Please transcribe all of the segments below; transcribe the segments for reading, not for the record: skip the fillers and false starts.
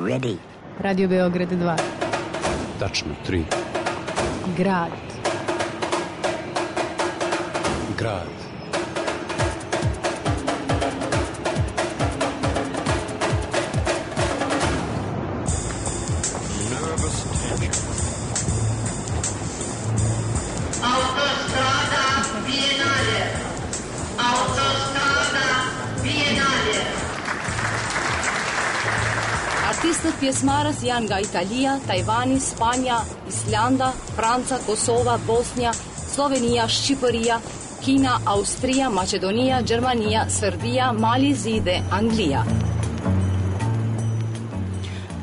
ready? Radio Beograd 2. Tačno 3. Grad. Grad. Артистот пјесмарот јан га Италија, Тајвани, Спања, Исланда, Франца, Косова, Боснија, Словенија, Шчипорија, Кина, Австрија, Македонија, Германија, Србија, Мали, Зиде, Англија.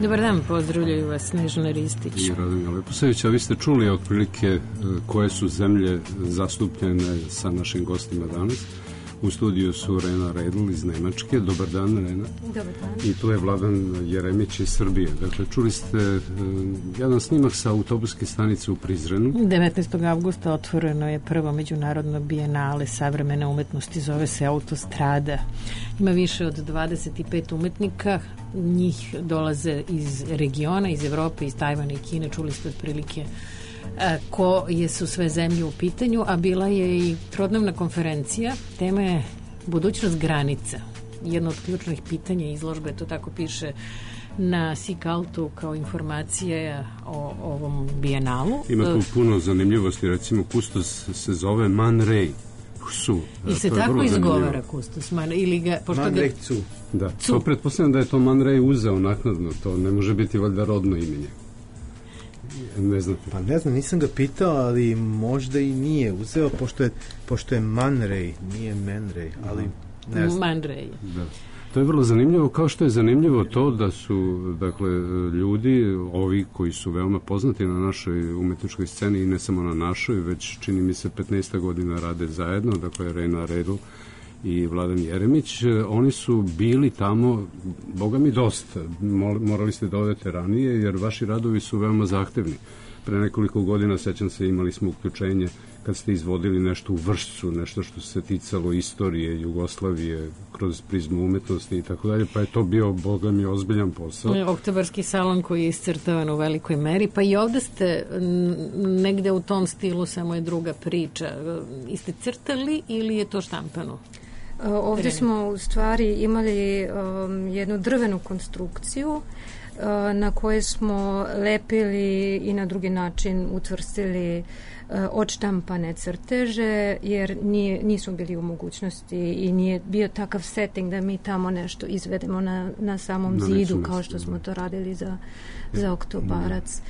Dobar dan, pozdravljaju vas Snežana Ristić i Radonja Leposavić. A vi ste čuli otprilike koje su zemlje zastupljene sa našim gostima danas. U studiju su Rena Redl iz Nemačke. Dobar dan, Rena. Dobar dan. I tu je Vladan Jeremić iz Srbije. Dakle, čuli ste jedan snimak sa autobuske stanice u Prizrenu. 19. avgusta otvoreno je prvo međunarodno bijenale savremene umetnosti, zove se Autostrada. Ima više od 25 umetnika, njih dolaze iz regiona, iz Evrope, iz Tajvana i Kine, čuli ste otprilike koje su sve zemlje u pitanju, a bila je i trodnevna konferencija, tema je budućnost granica. Jedno od ključnih pitanja izložbe, to tako piše na Sikaltu kao informacije o ovom bijenalu. Ima tu puno zanimljivosti, recimo kustos se zove Man Ray. I se tako izgovara kustos ili ga, Man Ray Cu. Da, to pretpostavljam da je to Man Ray uzeo naknadno, to ne može biti valjda rodno imenje. Ne znate. Pa ne znam, nisam ga pitao, ali možda i nije uzeo, pošto je Man Ray, nije Man Ray, ali ne znam. Man Ray. Da. To je vrlo zanimljivo, kao što je zanimljivo to da su, dakle, ljudi, ovi koji su veoma poznati na našoj umetničkoj sceni i ne samo na našoj, već čini mi se 15 godina rade zajedno, dakle, Rena Redl i Vladan Jeremić, oni su bili tamo, boga mi dosta, morali ste da odete ranije, jer vaši radovi su veoma zahtevni. Pre nekoliko godina, sećam se, imali smo uključenje kad ste izvodili nešto u Vršcu, nešto što se ticalo istorije Jugoslavije kroz prizmu umetnosti i tako dalje, pa je to bio, boga mi, ozbiljan posao. Oktobarski salon koji je iscrtavan u velikoj meri, pa i ovde ste negde u tom stilu, samo je druga priča. Iste crtali ili je to štampano? Ovdje smo u stvari imali jednu drvenu konstrukciju na kojoj smo lepili i na drugi način utvrstili odštampane crteže, jer nisu bili u mogućnosti i nije bio takav setting da mi tamo nešto izvedemo na samom zidu, kao što smo to radili za Oktobarac.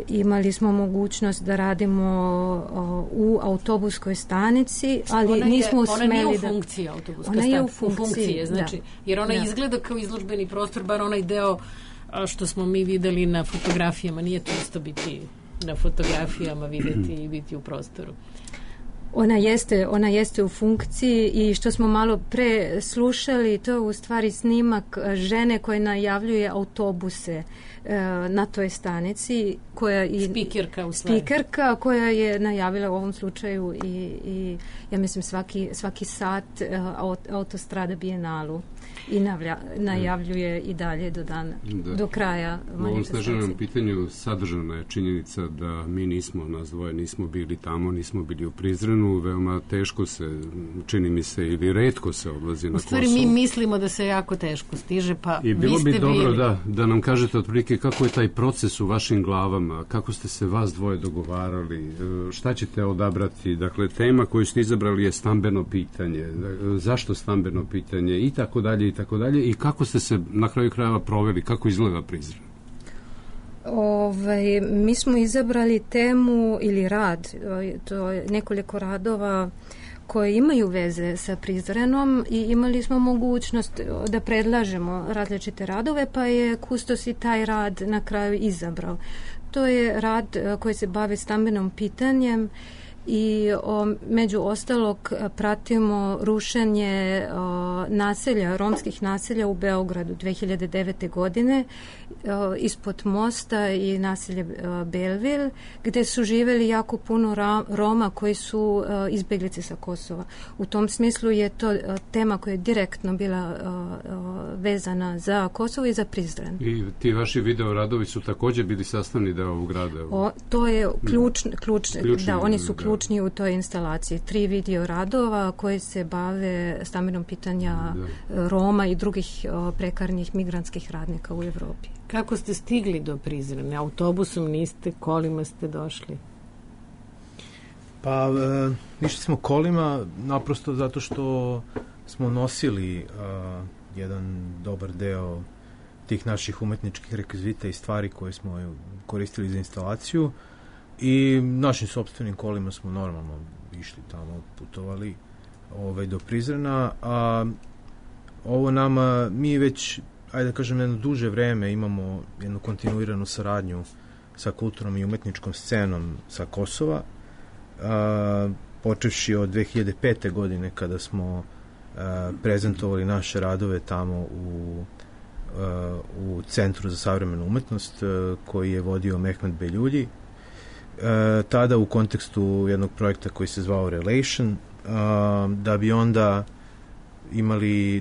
Imali smo mogućnost da radimo u autobuskoj stanici, ali nismo smeli da... Ona nije u funkciji autobuska stanica. Ona je u funkciji, znači, jer ona izgleda kao izložbeni prostor, bar onaj deo što smo mi videli na fotografijama, nije to isto biti na fotografijama, videti i biti u prostoru. Ona jeste u funkciji i što smo malo pre slušali, to je u stvari snimak žene koja najavljuje autobuse na toj stanici, koja i spikerka koja je najavila u ovom slučaju i ja mislim svaki sat Autostrada bijenalu i najavljuje i dalje do dana, do kraja manifestacije. U ovom Snežanom pitanju sadržana je činjenica da mi nas dvoje nismo bili tamo, nismo bili u Prizrenu, veoma teško se, čini mi se, ili retko se odlazi na Kosovo. U stvari mi mislimo da se jako teško stiže, pa i bilo bi dobro da nam kažete otprilike kako je taj proces u vašim glavama, kako ste se vas dvoje dogovarali, šta ćete odabrati, dakle tema koju ste izabrali je stambeno pitanje, zašto stambeno pitanje i tako dalje i kako ste se na kraju krajeva proveli, kako izgleda Prizren? Mi smo izabrali temu ili rad, to je nekoliko radova koje imaju veze sa Prizrenom i imali smo mogućnost da predlažemo različite radove, pa je kustos i taj rad na kraju izabrao. To je rad koji se bavi stambenom pitanjem i među ostalog pratimo rušenje naselja, romskih naselja u Beogradu 2009. godine ispod mosta i naselje Belville, gde su živeli jako puno Roma koji su izbjeglice sa Kosova. U tom smislu je to tema koja je direktno bila vezana za Kosovo i za Prizren. I ti vaši video radovi su također bili sastavni deo ovog rada? To je ključni, da, oni su ključni u toj instalaciji. 3 video radova koji se bave stambenom pitanja Roma i drugih prekarnih migrantskih radnika u Evropi. Kako ste stigli do Prizrena? Autobusom niste, kolima ste došli? Pa, išli smo kolima naprosto zato što smo nosili jedan dobar deo tih naših umetničkih rekvizita i stvari koje smo koristili za instalaciju i našim sopstvenim kolima smo normalno išli tamo, putovali do Prizrena, a ovo nama, mi već, ajde da kažem, jedno duže vreme imamo jednu kontinuiranu saradnju sa kulturnom i umetničkom scenom sa Kosova, počevši od 2005. godine kada smo prezentovali naše radove tamo u Centru za savremenu umetnost koji je vodio Mehmet Beljulji, tada u kontekstu jednog projekta koji se zvao Relation,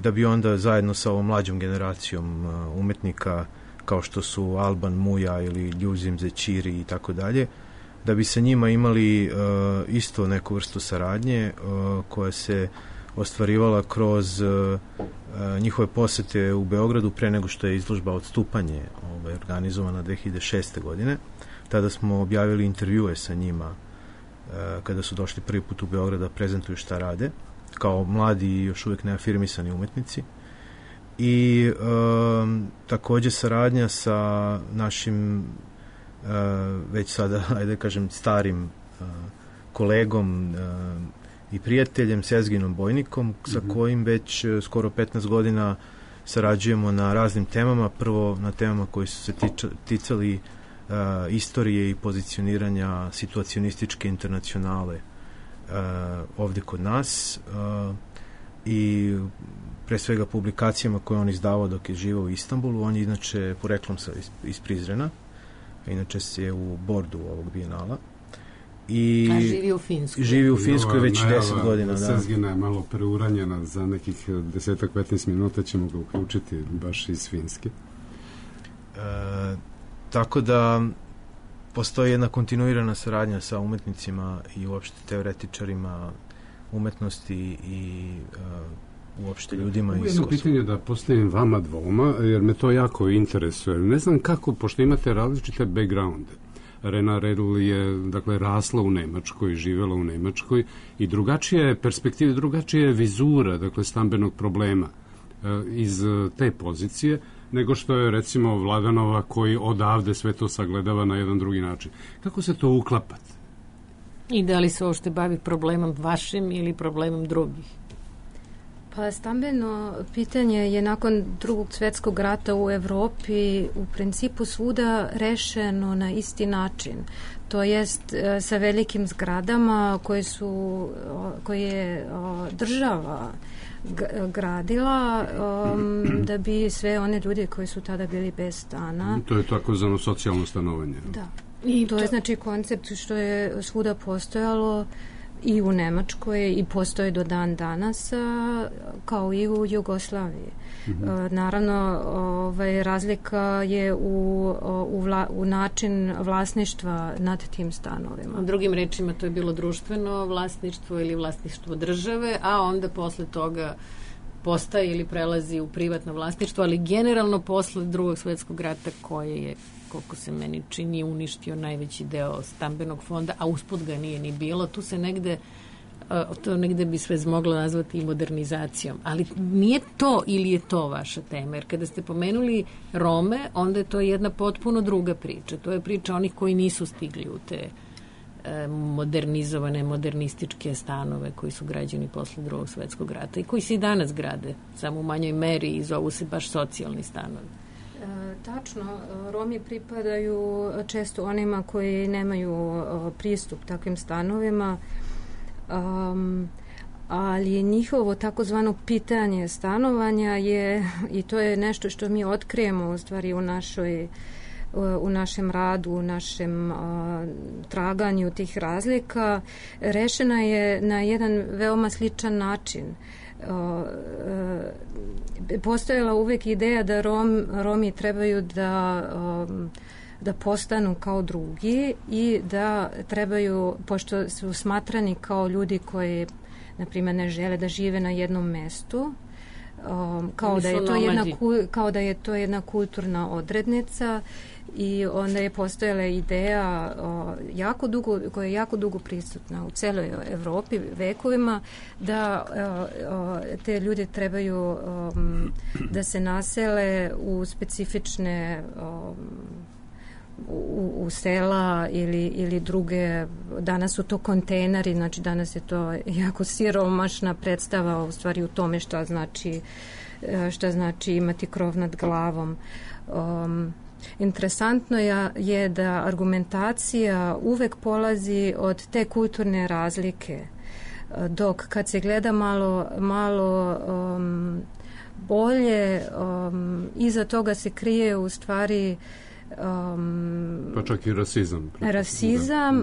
da bi onda zajedno sa ovom mlađom generacijom umetnika kao što su Alban Muja ili Ljuzim Zećiri i tako dalje, da bi sa njima imali isto neku vrstu saradnje koja se ostvarivala kroz njihove posete u Beogradu pre nego što je izložba Odstupanje organizovana 2006. godine. Tada smo objavili intervjue sa njima kada su došli prvi put u Beograd da prezentuju šta rade, kao mladi i još uvijek neafirmisani umetnici. I također saradnja sa našim već sada, ajde kažem, starim kolegom i prijateljem Sezginom Bojnikom, sa kojim već skoro 15 godina sarađujemo na raznim temama. Prvo na temama koji su se ticali istorije i pozicioniranja situacionističke internacionale ovdje kod nas i pre svega publikacijama koje on izdavao dok je živao u Istanbulu. On je inače poreklom iz Prizrena, inače se u bordu ovog bijenala. A živi u Finskoj. Živi u Finskoj već 10 godina. Sezgina je malo preuranjena, za nekih 10-15 minuta ćemo ga uključiti baš iz Finske. Tako da postoji jedna kontinuirana saradnja sa umetnicima i uopšte teoretičarima umetnosti i uopšte ljudima iz Kosova. Jedno pitanje da postavim vama dvoma, jer me to jako interesuje. Ne znam kako, pošto imate različite backgrounde. Rena Redl je, dakle, rasla u Nemačkoj, živjela u Nemačkoj i drugačija je perspektiva, drugačija je vizura, dakle, stambenog problema iz te pozicije, nego što je, recimo, Vladanova koji odavde sve to sagledava na jedan drugi način. Kako se to uklapate? I da li se uopšte bavi problemom vašim ili problemom drugih? Pa stambeno pitanje je nakon Drugog svjetskog rata u Evropi u principu svuda rešeno na isti način. To jest sa velikim zgradama koje je država gradila da bi sve one ljudi koji su tada bili bez stana. To je takozvano socijalno stanovanje. Da. I to je znači koncept što je svuda postojalo i u Nemačkoj i postoje do dan danas kao i u Jugoslaviji. Naravno, razlika je u način vlasništva nad tim stanovima. Drugim rečima, to je bilo društveno vlasništvo ili vlasništvo države, a onda posle toga postaje ili prelazi u privatno vlasništvo, ali generalno posle Drugog svjetskog rata koje je, koliko se meni čini, uništio najveći deo stambenog fonda, a usput ga nije ni bilo. Tu se negde bi sve moglo nazvati i modernizacijom. Ali nije to ili je to vaša tema? Jer kada ste pomenuli Rome, onda je to jedna potpuno druga priča. To je priča onih koji nisu stigli u te modernizovane, modernističke stanove koji su građeni posle Drugog svjetskog rata i koji se i danas grade, samo u manjoj meri i zovu se baš socijalni stanovi. Tačno, Romi pripadaju često onima koji nemaju pristup takvim stanovima, ali njihovo takozvano pitanje stanovanja je, i to je nešto što mi otkrijemo u stvari u našem radu, u našem traganju tih razlika, rešena je na jedan veoma sličan način. Postojala uvek ideja da Romi trebaju da postanu kao drugi i da trebaju, pošto su smatrani kao ljudi koji, na primjer, ne žele da žive na jednom mestu, kao da je to jedna kulturna odrednica, i onda je postojala ideja koja je jako dugo prisutna u celoj Evropi vekovima, da te ljude trebaju da se nasele u specifične u sela ili druge, danas su to kontejneri, znači danas je to jako siromašna predstava u stvari u tome šta znači imati krov nad glavom. Interesantno je da argumentacija uvek polazi od te kulturne razlike, dok kad se gleda malo bolje, iza toga se krije u stvari pa čak i rasizam.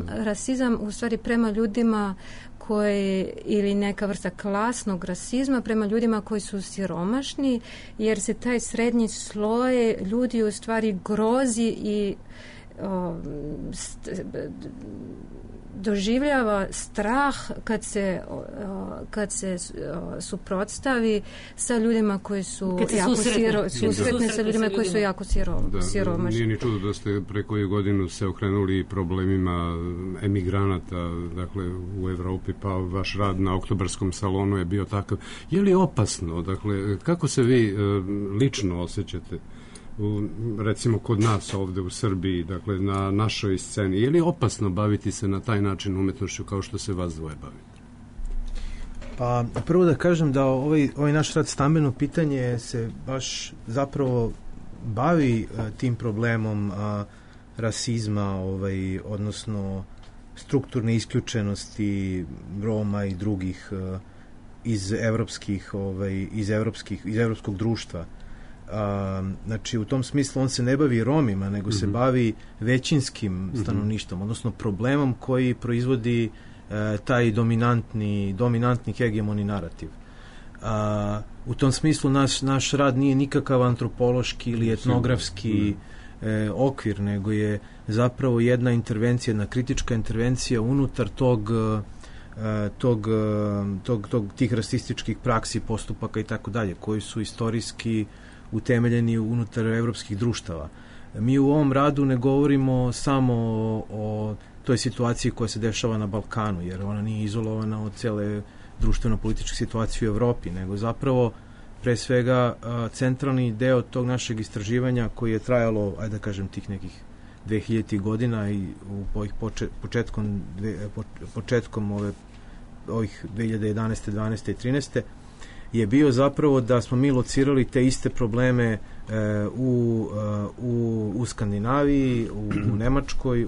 Rasizam u stvari prema ljudima koji, ili neka vrsta klasnog rasizma prema ljudima koji su siromašni, jer se taj srednji sloj ljudi u stvari grozi i doživljava strah kad se suprotstavi sa ljudima koji su jako susretni sa ljudima koji su jako siromašni. Nije ni čudo da ste pre koju godinu se okrenuli problemima emigranata, dakle u Evropi, pa vaš rad na Oktobarskom salonu je bio takav. Je li opasno, dakle, kako se vi lično osjećate recimo kod nas ovde u Srbiji, dakle na našoj sceni, je li opasno baviti se na taj način umetnošću kao što se vas dvoje bavite? Pa prvo da kažem da ovaj naš rad stambeno pitanje se baš zapravo bavi tim problemom rasizma, odnosno strukturne isključenosti Roma i drugih iz evropskog društva. Znači u tom smislu on se ne bavi Romima, nego se bavi većinskim stanovništvom, odnosno problemom koji proizvodi taj dominantni hegemoni narativ. U tom smislu naš rad nije nikakav antropološki ili etnografski okvir, nego je zapravo jedna intervencija, jedna kritička intervencija unutar tih rasističkih praksi, postupaka i tako dalje, koji su istorijski utemeljeni unutar evropskih društava. Mi u ovom radu ne govorimo samo o toj situaciji koja se dešava na Balkanu, jer ona nije izolovana od cele društveno-političke situacije u Evropi, nego zapravo pre svega centralni deo tog našeg istraživanja koji je trajalo, ajde da kažem, tih nekih 2000 godina i početkom ovih 2011. 12. i 13. je bio zapravo da smo mi locirali te iste probleme u Skandinaviji, u Nemačkoj,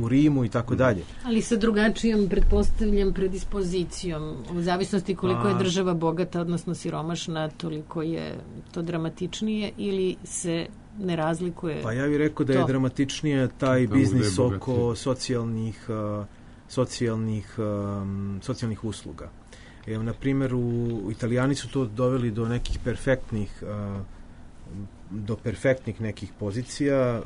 u Rimu i tako dalje. Ali sa drugačijom, pretpostavljam, predispozicijom. U zavisnosti koliko je država bogata, odnosno siromašna, toliko je to dramatičnije, ili se ne razlikuje? Pa ja bih rekao da je dramatičnije taj biznis oko socijalnih usluga. Na primjer, Italijani su to doveli do nekih perfektnih nekih pozicija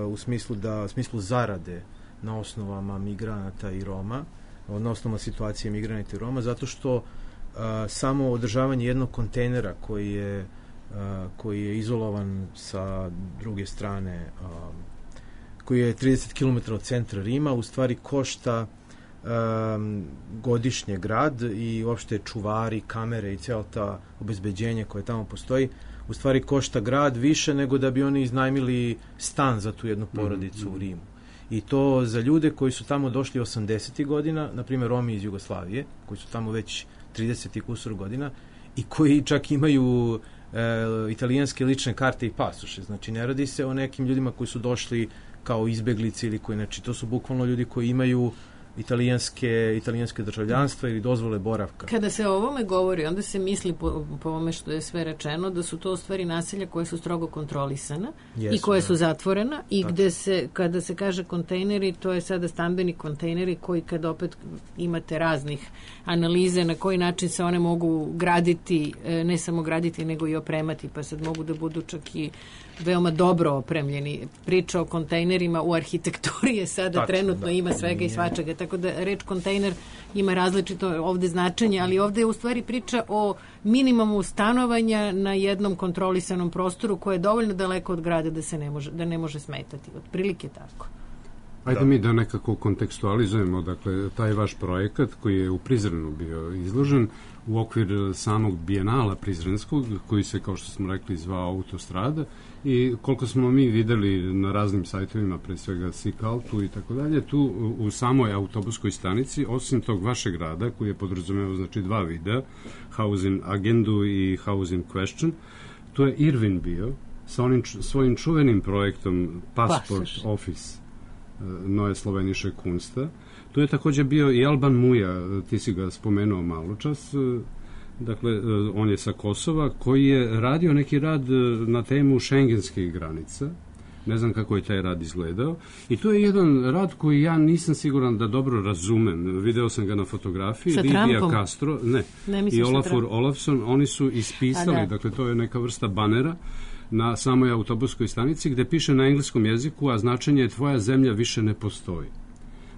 u smislu zarade na osnovama migranata i Roma, na osnovama situacije migranata i Roma, zato što samo održavanje jednog kontejnera koji je izolovan sa druge strane, koji je 30 km od centra Rima, u stvari košta godišnje grad i uopšte čuvari, kamere i cijelo ta obezbeđenje koje tamo postoji, u stvari košta grad više nego da bi oni iznajmili stan za tu jednu porodicu u Rimu. I to za ljude koji su tamo došli 80. godina, na primjer Romi iz Jugoslavije, koji su tamo već 30 i kusur godina i koji čak imaju italijanske lične karte i pasoše. Znači, ne radi se o nekim ljudima koji su došli kao izbeglici ili koji, znači, to su bukvalno ljudi koji imaju italijanske državljanstva ili dozvole boravka. Kada se o ovome govori, onda se misli po ovome što je sve rečeno, da su to u stvari naselja koje su strogo kontrolisana i koje su zatvorena i gde se, kada se kaže kontejneri, to je sada stambeni kontejneri koji kad opet imate raznih analize na koji način se one mogu graditi, ne samo graditi nego i opremati, pa sad mogu da budu čak i veoma dobro opremljeni. Priča o kontejnerima u arhitekturi je sada trenutno ima svega i svačega, tako da reč kontejner ima različito ovde značenje, ali ovde je u stvari priča o minimumu stanovanja na jednom kontrolisanom prostoru koje je dovoljno daleko od grada da ne može smetati. Otprilike tako. Ajde mi da nekako kontekstualizujemo, dakle, taj vaš projekat koji je u Prizrenu bio izložen u okvir samog bijenala prizrenskog, koji se, kao što smo rekli, zvao Autostrada, i koliko smo mi videli na raznim sajtovima, pre svega Sikaltu i tako dalje, tu u samoj autobuskoj stanici, osim tog vašeg rada, koji je podrazumevao, znači, 2 videa, House in Agendu i House in Question, tu je Irvin bio sa onim svojim čuvenim projektom Passport Office Neue Slovenische Kunsta. Tu je takođe bio i Alban Muja, ti si ga spomenuo malo čas, dakle, on je sa Kosova, koji je radio neki rad na temu šengenskih granica. Ne znam kako je taj rad izgledao. I to je jedan rad koji ja nisam siguran da dobro razumem. Video sam ga na fotografiji. Lidija Castro, i Olafur Olafsson, oni su ispisali, dakle, to je neka vrsta banera na samoj autobuskoj stanici gde piše na engleskom jeziku, a značenje je tvoja zemlja više ne postoji.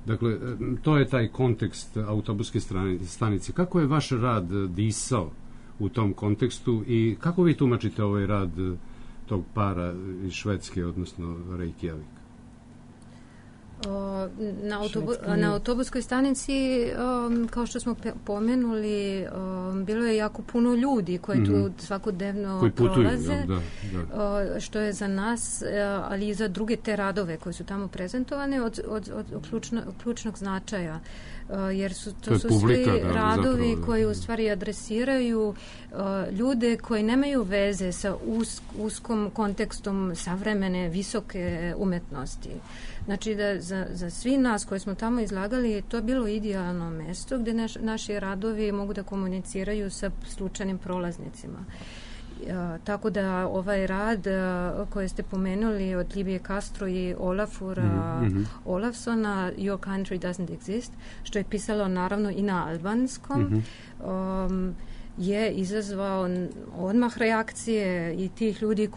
Dakle, to je taj kontekst autobuske stanice. Kako je vaš rad disao u tom kontekstu i kako vi tumačite ovaj rad tog para iz Švedske, odnosno Reykjavik? Na autobuskoj stanici, kao što smo pomenuli, bilo je jako puno ljudi koji tu svakodnevno prolaze, što je za nas, ali i za druge te radove koji su tamo prezentovane od ključnog značaja. Jer to su svi radovi koji u stvari adresiraju ljude koji nemaju veze sa uskom kontekstom savremene visoke umetnosti. Znači da za svi nas koji smo tamo izlagali to je bilo idealno mesto gde naši radovi mogu da komuniciraju sa slučajnim prolaznicima. Tako da ovaj rad koji ste pomenuli od Lidije Castro i Olafura Olafssona, Your Country Doesn't Exist, što je pisalo naravno i na albanskom, je izazvao odmah reakcije i tih ljudi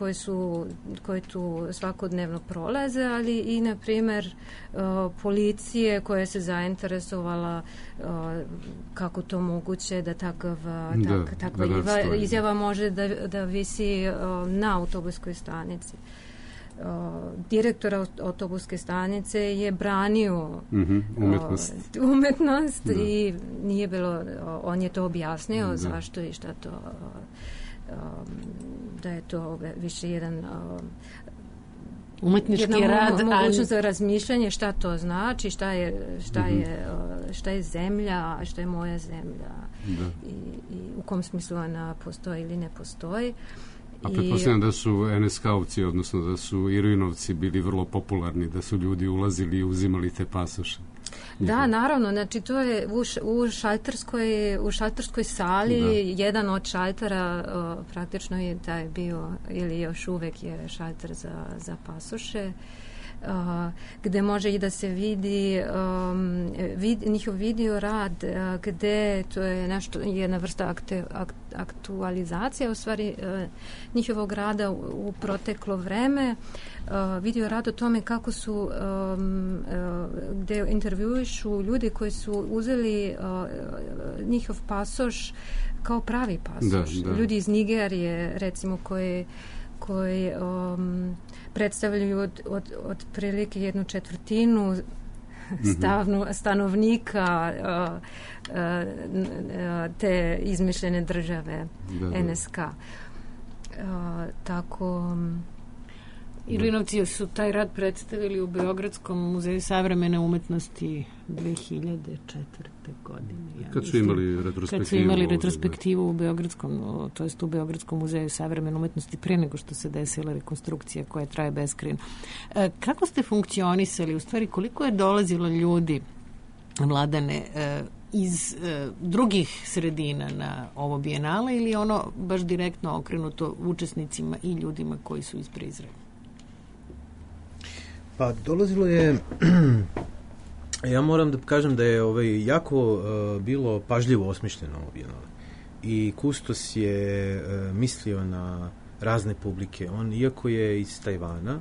koji tu svakodnevno prolaze, ali i, na primjer, policije koja se zainteresovala kako to moguće da takva izjava može da visi na autobuskoj stanici. Direktor autobuske stanice je branio umetnost i nije bilo, on je to objasnio zašto i šta to, da je to više jedan umetnički rad, mogućnost za razmišljanje šta to znači, šta je zemlja, šta je moja zemlja i u kom smislu ona postoji ili ne postoji. A pretpostavljam da su NSK-ovci, odnosno da su Irvinovci bili vrlo popularni, da su ljudi ulazili i uzimali te pasoše. Da, naravno, znači to je u šalterskoj sali, jedan od šaltera praktično je taj bio, ili još uvek je šalter za pasoše, gde može i da se vidi njihov video rad, gde to je nešto, jedna vrsta aktualizacija u stvari njihovog rada u proteklo vreme, video rad o tome kako su gde intervjuišu ljudi koji su uzeli njihov pasoš kao pravi pasoš. Ljudi iz Nigerije, recimo, koji predstavljaju od prilike 1/4 stanovnika te izmišljene države NSK. Tako... Ilinovci su taj rad predstavili u Beogradskom muzeju savremene umetnosti 2004. godine. Kad su imali retrospektivu u Beogradskom, to jest u Beogradskom muzeju savremene umetnosti pre nego što se desila rekonstrukcija koja traje beskrajno. Kako ste funkcionisali, u stvari koliko je dolazilo ljudi, Mladene, iz drugih sredina na ovo bijenale ili ono baš direktno okrenuto učesnicima i ljudima koji su iz Prizrena? Pa dolazilo je, ja moram da kažem da je jako bilo pažljivo osmišljeno ovo bijenale. I kustos je mislio na razne publike. On, iako je iz Tajvana,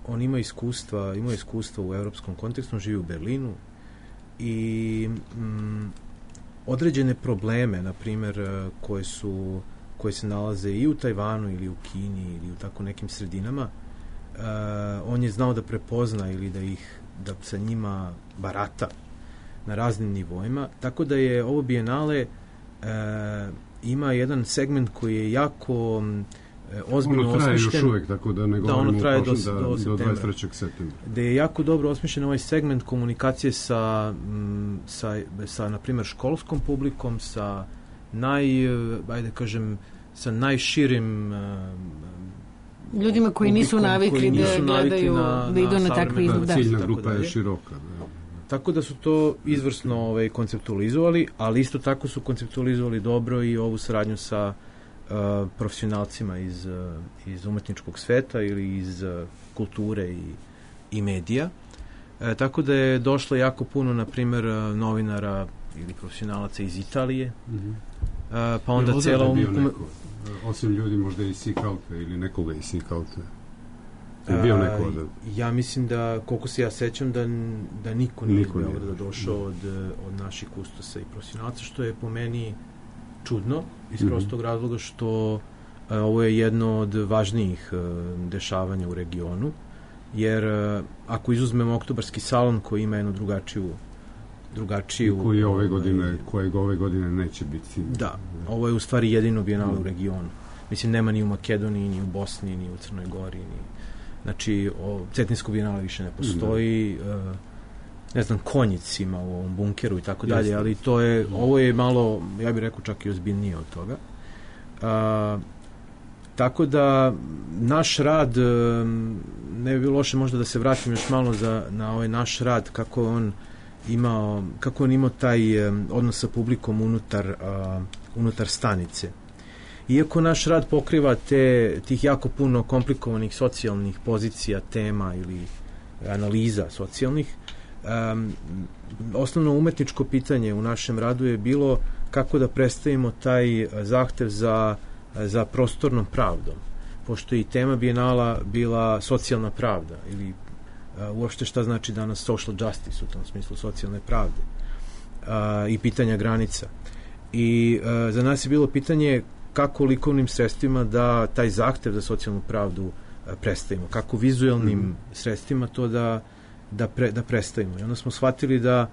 on ima iskustva u evropskom kontekstu, on živi u Berlinu i određene probleme, na primjer, koje se nalaze i u Tajvanu ili u Kini ili u tako nekim sredinama, on je znao da prepozna ili da sa njima barata na raznim nivoima, tako da je ovo bijenale ima jedan segment koji je jako ozbiljno osmišljen. Ono traje još uvijek, tako da ne govorimo ono traje do 23. septembra. Da je jako dobro osmišljen ovaj segment komunikacije sa na primjer, školskom publikom, sa najširim ljudima koji nisu navikli da gledaju, da idu na takve izglede. Ciljna grupa je široka. Tako da su to izvrsno konceptualizovali, ali isto tako su konceptualizovali dobro i ovu saradnju sa profesionalcima iz umetničkog sveta ili iz kulture i medija. Tako da je došlo jako puno, na primjer, novinara ili profesionalaca iz Italije. Pa onda cijela osim ljudi možda iz Sikalte ili nekoga iz Sikalte. Je bio neko odavde? Ja mislim da, koliko se ja sećam, da niko nije došao od naših kustosa i profesionalaca, što je po meni čudno, iz prostog razloga što ovo je jedno od važnijih dešavanja u regionu, jer ako izuzmemo Oktobarski salon koji ima jednu drugačiju kojeg ove godine neće biti. Da, ovo je u stvari jedino bijenale u regionu. Mislim, nema ni u Makedoniji, ni u Bosni, ni u Crnoj Gori, znači, Cetinsko bijenale više ne postoji, ne znam, Konjic ima u ovom bunkeru i tako dalje, ali ovo je malo, ja bih rekao, čak i ozbiljnije od toga. Tako da naš rad, ne bi bilo loše možda da se vratim još malo na ovaj naš rad, kako on imao taj odnos sa publikom unutar stanice. Iako naš rad pokriva tih jako puno komplikovanih socijalnih pozicija, tema ili analiza socijalnih, osnovno umetničko pitanje u našem radu je bilo kako da predstavimo taj zahtev za prostornom pravdom, pošto je i tema bijenala bila socijalna pravda ili uopšte šta znači danas social justice, u tom smislu socijalne pravde i pitanja granica. I za nas je bilo pitanje kako likovnim sredstvima da taj zahtev za socijalnu pravdu predstavimo, kako vizualnim sredstvima to da predstavimo. I onda smo shvatili da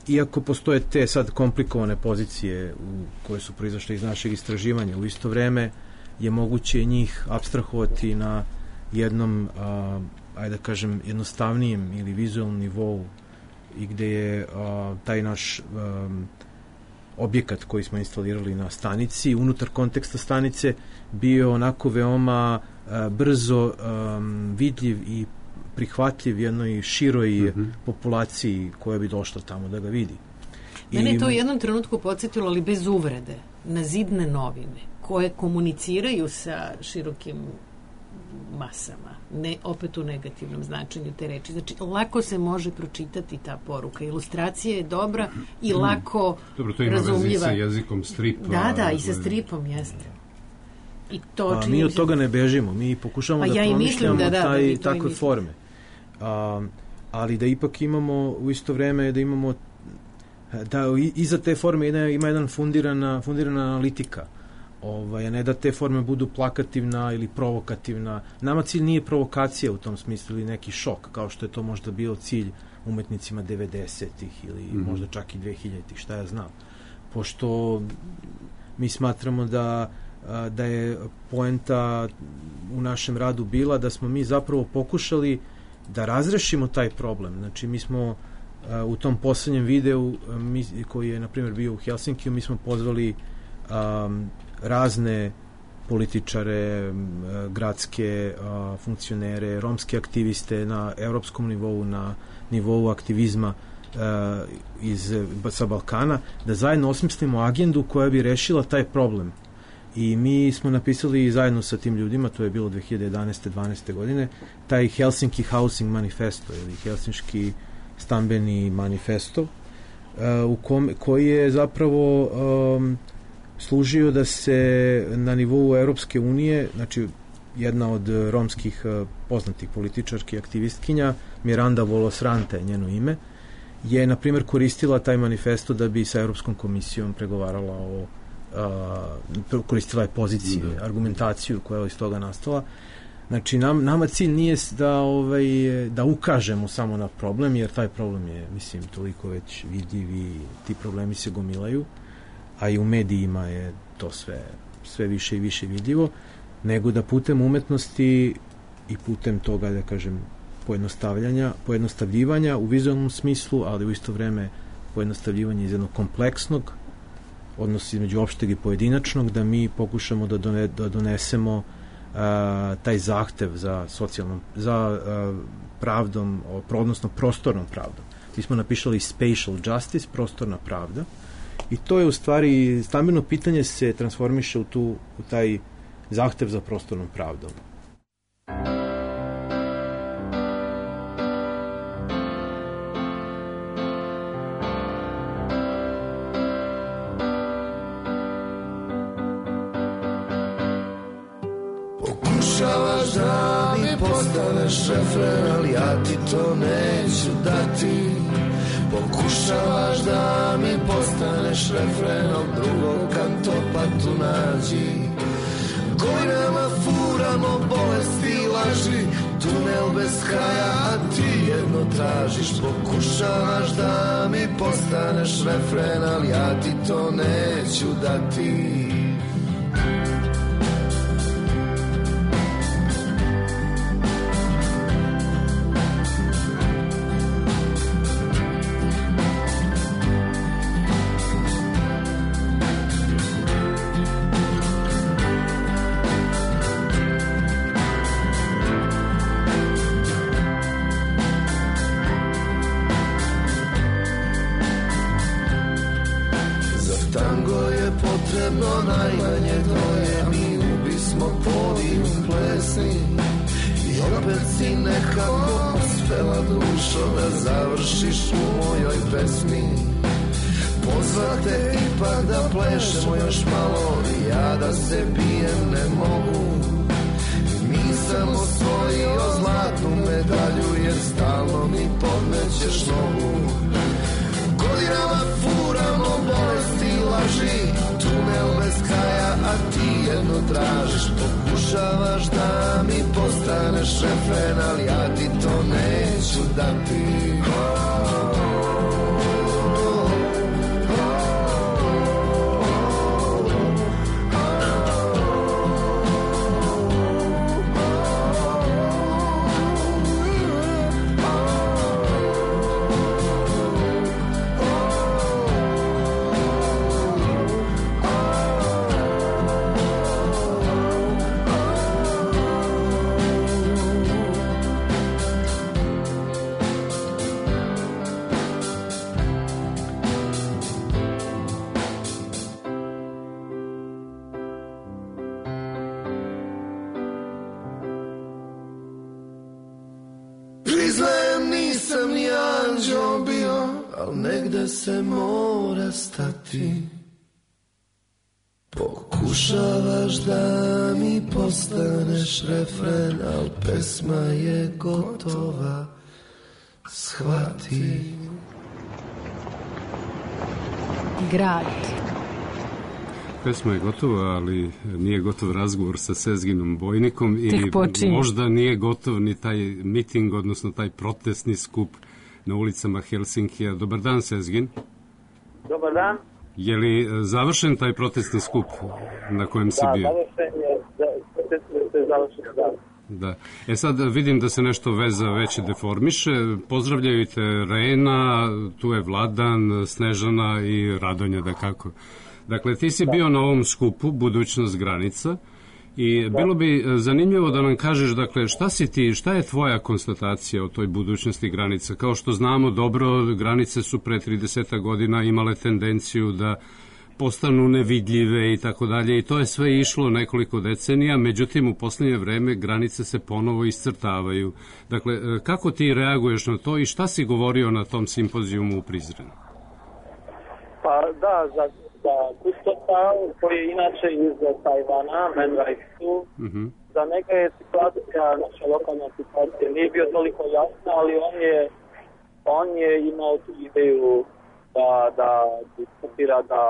iako postoje te sad komplikovane pozicije koje su proizašle iz našeg istraživanja, u isto vreme je moguće njih apstrahovati na jednom ajde da kažem jednostavnijem ili vizualnom nivou i gde je taj naš objekat koji smo instalirali na stanici unutar konteksta stanice bio onako veoma brzo vidljiv i prihvatljiv jednoj široj populaciji koja bi došla tamo da ga vidi. Mene je to u jednom trenutku podsjetilo, ali bez uvrede, na zidne novine koje komuniciraju sa širokim masama, ne opet u negativnom značenju te reči. Znači, lako se može pročitati ta poruka. Ilustracija je dobra i lako razumljiva. Dobro, to ima vezi sa jezikom stripa. Da, i sa stripom, jeste. I to mi od toga ne bežimo. Mi pokušamo da promišljamo takve forme. Ali da ipak imamo u isto vreme da imamo da iza te forme ima jedan fundirana analitika. A ne da te forme budu plakativna ili provokativna. Nama cilj nije provokacija u tom smislu ili neki šok, kao što je to možda bio cilj umetnicima 90-ih ili možda čak i 2000-ih, šta ja znam. Pošto mi smatramo da da je poenta u našem radu bila da smo mi zapravo pokušali da razrešimo taj problem. Znači, mi smo u tom poslednjem videu koji je, na primjer, bio u Helsinkiju, mi smo pozvali razne političare, gradske funkcionere, romske aktiviste na evropskom nivou, na nivou aktivizma sa Balkana, da zajedno osmislimo agendu koja bi rešila taj problem. I mi smo napisali zajedno sa tim ljudima, to je bilo 2011-12. godine, taj Helsinki Housing Manifesto ili Helsinški stambeni manifesto, koji je zapravo služio da se na nivou Europske unije, znači jedna od romskih poznatih političarki aktivistkinja, Miranda Volosrante, njeno ime, je, na primjer, koristila taj manifesto da bi sa Europskom komisijom pregovarala koristila je pozicije, argumentaciju koja je iz toga nastala. Znači, nama cilj nije da ukažemo samo na problem, jer taj problem je, mislim, toliko već vidljiv i ti problemi se gomilaju, a i u medijima je to sve više i više vidljivo, nego da putem umetnosti i putem toga, da kažem, pojednostavljivanja u vizualnom smislu, ali u isto vreme pojednostavljivanje iz jednog kompleksnog, odnos između opšteg i pojedinačnog, da mi pokušamo da donesemo taj zahtev za pravdom, odnosno prostornom pravdom. Mi smo napisali spatial justice, prostorna pravda, i to je u stvari, stambeno pitanje se transformiše u taj zahtev za prostornom pravdom. Pokušavaš da mi postaneš refren, ali ja ti to neću dati. Pokušavaš da mi postaneš refren, od drugog kantopa tu nađi. Godinama furamo bolesti i laži, tunel bez kraja, a ti jedno tražiš. Pokušavaš da mi postaneš refren, ali ja ti to neću dati. Najmanje dvoje, mi ubismo podijum plesni. I opet si nekako uspela, dušo, da završiš u mojoj pesmi. Pozvate ipak da plešemo još malo, i ja da se bijem ne mogu. Nisam osvojio zlatnu medalju, jer stalno mi podmećeš nogu. Godinama furamo bolesti i laži, tunel bez kraja, a ti jedno tražiš. Pokušavaš da mi postaneš refren, ali ja ti to neću dati. Negde se mora stati. Pokušavaš da mi postaneš refren, al pesma je gotova, shvati. Grad. Pesma je gotova, ali nije gotov razgovor sa Sezginom Bojnikom ili možda nije gotov ni taj miting, odnosno taj protestni skup na ulicama Helsinkija. Dobar dan, Sezgin. Dobar dan. Je li završen taj protestni skup na kojem si bio? Da, završen je, završen, da. Da. Sad vidim da se nešto veza već deformiše. Pozdravljaju te Rena, tu je Vladan, Snežana i Radonja, da kako. Dakle, ti si bio na ovom skupu Budućnost granica i bilo bi zanimljivo da nam kažeš, dakle, šta je tvoja konstatacija o toj budućnosti granica? Kao što znamo dobro, granice su pre 30 godina imale tendenciju da postanu nevidljive i tako dalje i to je sve išlo nekoliko decenija, međutim u posljednje vreme granice se ponovo iscrtavaju. Dakle, kako ti reaguješ na to i šta si govorio na tom simpozijumu u Prizrenu? Pa da, za Kustosa, koji je inače iz Tajvana, Man Raisu, za neka je situacija, naša lokalna situacija, nije bio toliko jasna, ali on je imao tu ideju da diskutira, da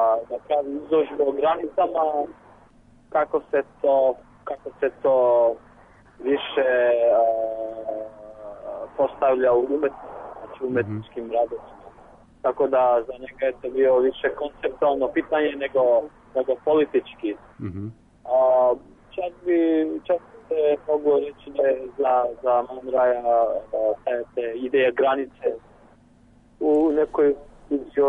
pravi izložbu o granicama, kako se to više postavlja u umetničkim radovima. Tako da za njega je to bio više konceptualno pitanje nego politički. Čak se mogu reći da je za Man Raja te ideje granice u nekoj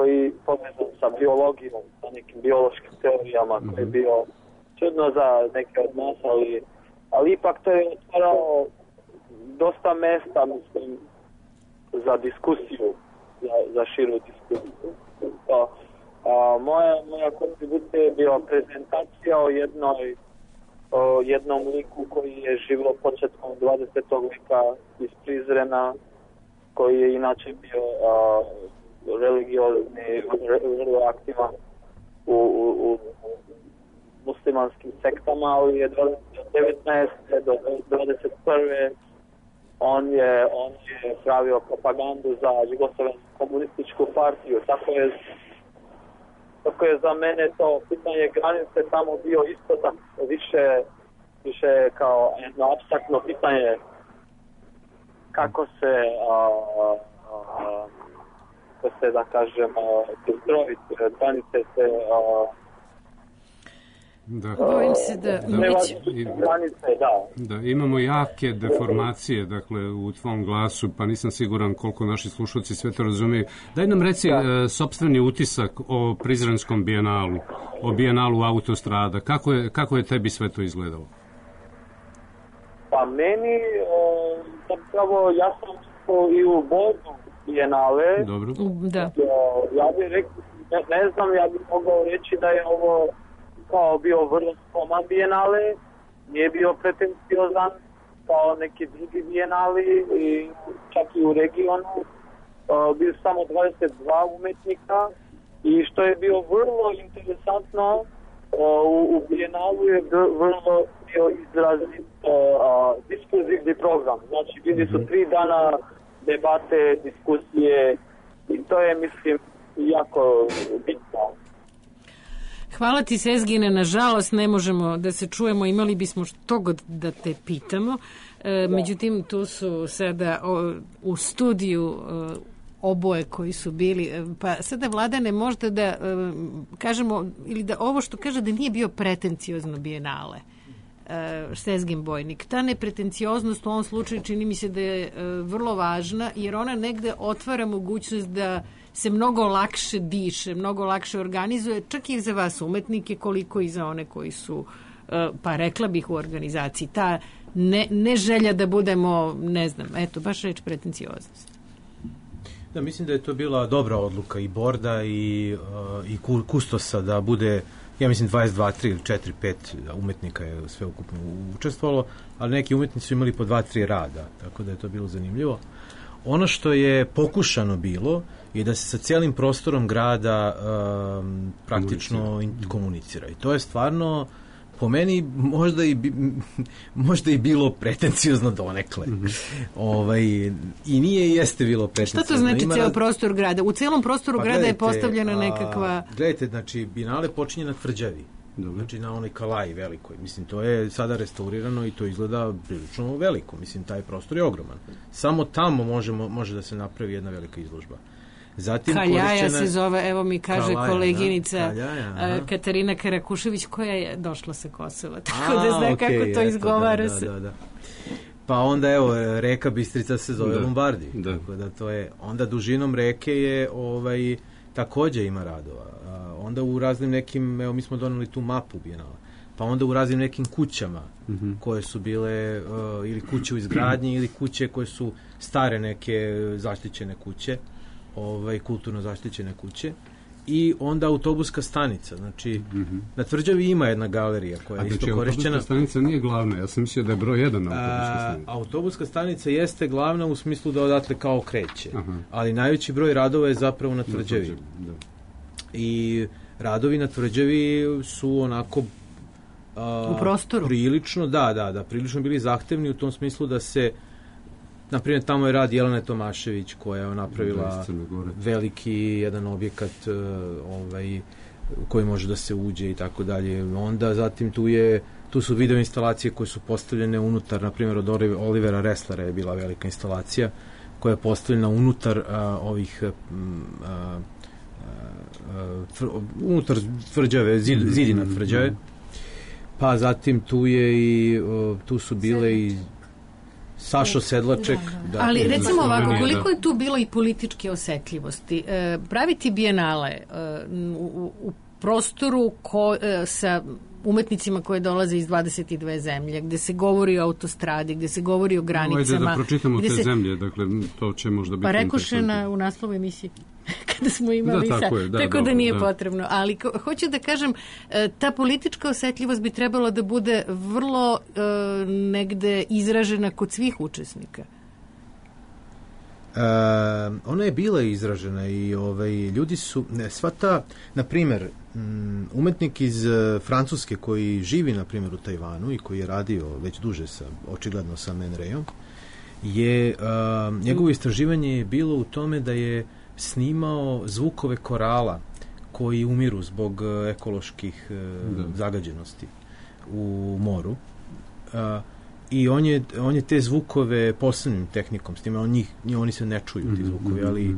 i povezan sa biologijom, sa nekim biološkim teorijama koje je bio čudno za neke od nas, ali ipak to je otvarao dosta mesta, mislim, za diskusiju, za širu diskusiju. Moja kontribucija je bila prezentacija o jednom liku koji je živio početkom 20. veka iz Prizrena, koji je inače bio religiozni, vrlo aktivan u muslimanskim sektama, ali je od 19. do 21. on je pravio propagandu za Jugoslavensku komunističku partiju. Tako je za mene to pitanje granice tamo bio isto tako više kao jedno apstraktno pitanje kako se da kažem ustrojiti granice se bojim se da imamo jake deformacije, dakle, u tvom glasu, pa nisam siguran koliko naši slušalci sve to razumiju. Daj nam reci sopstveni utisak o Prizrenskom bijenalu, o bijenalu Autostrada. Kako je tebi sve to izgledalo? Pa meni zapravo ja sam i u Bodu bijenale. Dobro. Da. Ja bih rekao, ne znam, ja bih mogao reći da je ovo kao bio vrlo skroman bijenale, nije bio pretenciozan kao neki drugi bijenali i čak i u regionu. Bio samo 22 umetnika i što je bio vrlo interesantno, u bijenalu je vrlo bio izrazit diskurzivni program. Znači bili su 3 dana debate, diskusije i to je, mislim, jako bitno. Hvala ti, Sezgine, nažalost ne možemo da se čujemo, imali bismo što god da te pitamo, međutim tu su sada u studiju oboje koji su bili, pa sada Vladane možda da kažemo, ili da ovo što kaže da nije bio pretenciozno bijenale, Sezgin Bojnik. Ta nepretencioznost u ovom slučaju čini mi se da je vrlo važna, jer ona negde otvara mogućnost da se mnogo lakše diše, mnogo lakše organizuje, čak i za vas umetnike, koliko i za one koji su, pa rekla bih, u organizaciji. Ta ne želja da budemo, ne znam, eto, baš reč pretencioznost. Da, mislim da je to bila dobra odluka i Borda i Kustosa da bude, ja mislim 22, 3 ili 4, 5 umetnika je sve ukupno učestvovalo, ali neki umetnici su imali po 2-3 rada, tako da je to bilo zanimljivo. Ono što je pokušano bilo je da se sa cijelim prostorom grada praktično komunicira. I to je stvarno, po meni, možda i bilo pretenciozno donekle. I nije i jeste bilo pretenciozno. Šta to znači cijel prostor grada? U cijelom prostoru grada je postavljena nekakva... Gledajte, znači, Bijenale počinje na Tvrđavi. Znači na onoj Kalaji velikoj. Mislim, to je sada restaurirano i to izgleda prilično veliko. Mislim, taj prostor je ogroman. Samo tamo može da se napravi jedna velika izložba. Zatim Kaljaja se zove, evo mi kaže koleginica Katarina Karakušević, koja je došla sa Kosova, tako da zna kako to izgovara se. Da. Pa onda evo, reka Bistrica se zove Lombardi, tako da to je, onda dužinom reke je takođe ima radova. Onda u raznim nekim, evo mi smo doneli tu mapu Bijenala, pa onda u raznim nekim kućama koje su bile ili kuće u izgradnji ili kuće koje su stare neke zaštićene kuće, kulturno zaštićene kuće, i onda autobuska stanica. Znači, na Tvrđavi ima jedna galerija koja je isto korišćena. Autobuska stanica nije glavna, ja sam mislio da je broj 1 autobuska stanica. Autobuska stanica jeste glavna u smislu da odatle kao kreće, ali najveći broj radova je zapravo na Tvrđavi. I radovi na Tvrđavi su onako u prostoru. Prilično, da, prilično bili zahtevni u tom smislu da se, na primjer, tamo je rad Jelene Tomašević koja je napravila veliki jedan objekat u koji može da se uđe i tako dalje. Onda zatim tu su video instalacije koje su postavljene unutar, na primjer od Olivera Resslera je bila velika instalacija koja je postavljena unutar ovih unutar Tvrđave, zidina Tvrđave. Pa zatim tu su bile i Sašo Sedlaček. Da. Ali recimo ovako, koliko je tu bilo i političke osetljivosti? Praviti bijenale u prostoru sa umetnicima koje dolaze iz 22 zemlje, gde se govori o autostradi, gde se govori o granicama. Ajde da pročitamo te zemlje, dakle to će možda biti... Pa rekoše u naslovu emisiji kada smo imali tako da nije potrebno. Ali hoću da kažem, ta politička osetljivost bi trebala da bude vrlo negde izražena kod svih učesnika. Ona je bila izražena i ljudi su, na primjer, umetnik iz Francuske koji živi, na primjer, u Tajvanu i koji je radio već duže očigledno sa Man Rayom, njegovo istraživanje je bilo u tome da je snimao zvukove korala koji umiru zbog ekoloških zagađenosti u moru. I on je te zvukove posebnim tehnikom snimao, oni se ne čuju ti zvukovi, ali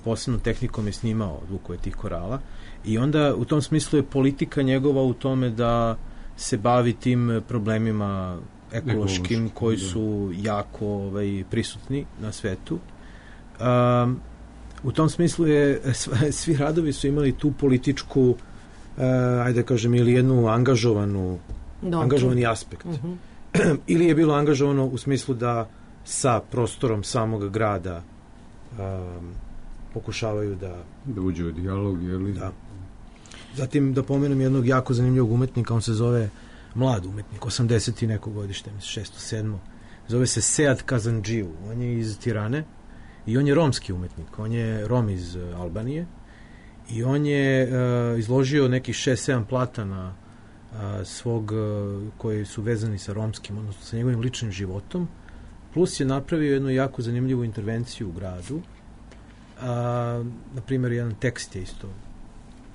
posebnom tehnikom je snimao zvukove tih korala, i onda u tom smislu je politika njegova u tome da se bavi tim problemima ekološkim koji su jako prisutni na svetu. U tom smislu svi radovi su imali tu političku, ajde da kažem, ili jednu angažovani aspekt. Ili je bilo angažovano u smislu da sa prostorom samog grada pokušavaju da uđe u dijalog, ili... Da. Zatim da pomenem jednog jako zanimljivog umetnika, on se zove mlad umetnik, 80 i neko godište, 607. Zove se Sead Kazandžiju, on je iz Tirane i on je romski umetnik, on je Rom iz Albanije i on je izložio nekih 6-7 platana svog, koji su vezani sa romskim, odnosno sa njegovim ličnim životom, plus je napravio jednu jako zanimljivu intervenciju u gradu. Na primjer, jedan tekst je isto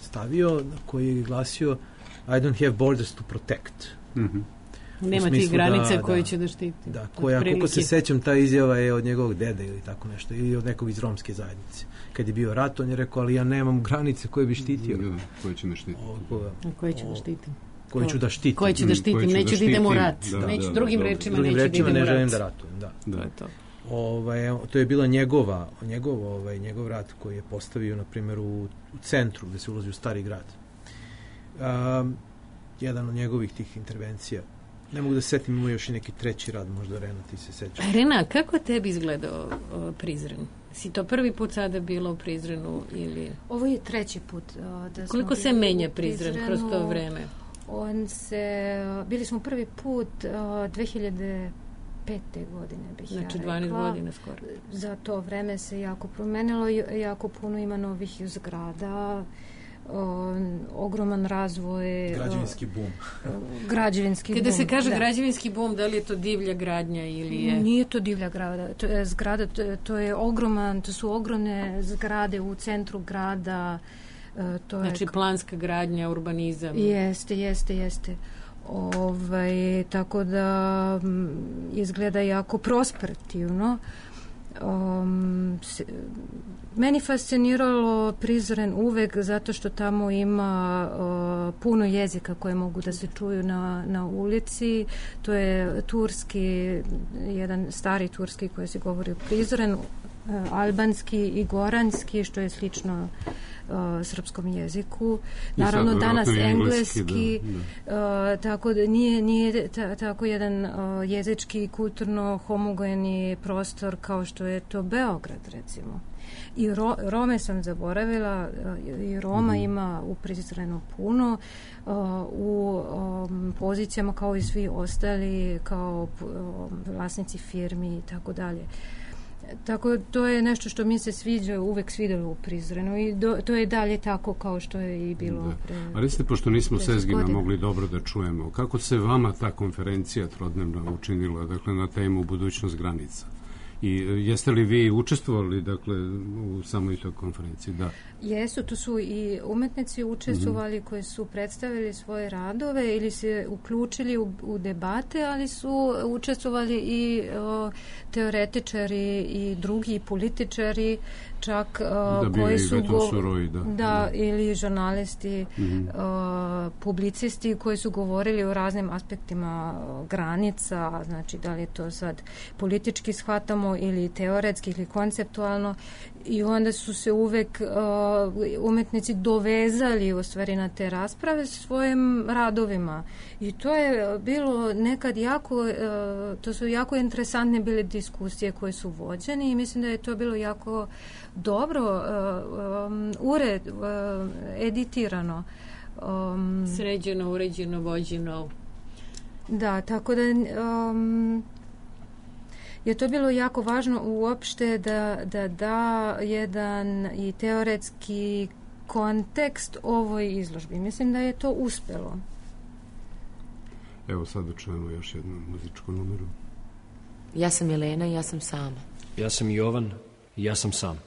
stavio koji je glasio I don't have borders to protect. Nema tih granica koje će da štiti. Da, koja, koliko se sećam, ta izjava je od njegovog dede ili tako nešto, ili od nekog iz romske zajednice. Kad je bio rat, on je rekao, ali ja nemam granice koje bi štitio. Koje će me štiti. Koje će da štitim. Koje ću da štitim. Koje ću da štitim, neću da idem u rat. Drugim rečima neću da idem u rat. Ne želim da ratujem, da. To je to. To je bila njegov rat koji je postavio, na primjer, u centru gde se ulazi u stari grad. Jedan od njegovih tih intervencija. Ne mogu da se setim, ima još i neki treći rad, možda Rena, ti se sećaš. Rena, kako tebi izgledao Prizren? Si to prvi put sada bilo u Prizrenu ili... Ovo je treći put. Koliko se menja Prizren kroz to vreme? Bili smo prvi put 2005. godine, bih ja rekla. Znači 12 godina skoro. Za to vreme se jako promenilo, jako puno ima novih zgrada, ogroman razvoj, građevinski bum. Kada se kaže građevinski bum, da li je to divlja gradnja ili je... Nije to divlja zgrada, to su ogromne zgrade u centru grada. Znači planska gradnja, urbanizam. Jeste. Tako da izgleda jako prosperativno. Meni fasciniralo Prizren uvek zato što tamo ima puno jezika koje mogu da se čuju na ulici. To je turski, jedan stari turski koji se govori u Prizrenu, albanski i goranski, što je slično srpskom jeziku. Naravno danas engleski, tako da nije tako jedan jezički i kulturno homogeni prostor kao što je to Beograd, recimo. I Rome sam zaboravila, i Roma ima u Prizrenu puno, u pozicijama kao i svi ostali, kao vlasnici firmi i tako dalje. Tako to je nešto što mi se uvek svidjelo u Prizrenu i to je dalje tako kao što je i bilo pre. Ali ste, pošto nismo Sezgina mogli dobro da čujemo, kako se vama ta konferencija trodnevna učinila, dakle, na temu budućnost granica? I jeste li vi učestvovali, dakle, u samoj toj konferenciji? Da. Jesu, tu su i umetnici učestvovali koji su predstavili svoje radove ili se uključili u debate, ali su učestvovali i teoretičari i drugi političari, čak koji su ili žurnalisti, publicisti koji su govorili o raznim aspektima granica, znači da li je to sad politički shvatamo ili teoretski ili konceptualno, i onda su se uvek umetnici dovezali u stvari na te rasprave svojim radovima i to je bilo nekad to su jako interesantne bile diskusije koje su vođene i mislim da je to bilo jako dobro editirano, sređeno, uređeno, vođeno. Da, tako da je to bilo jako važno uopšte da jedan i teoretski kontekst ovoj izložbi. Mislim da je to uspelo. Evo sad čujemo još jednu muzičku numeru. Ja sam Jelena i ja sam sama. Ja sam Jovan i ja sam sam.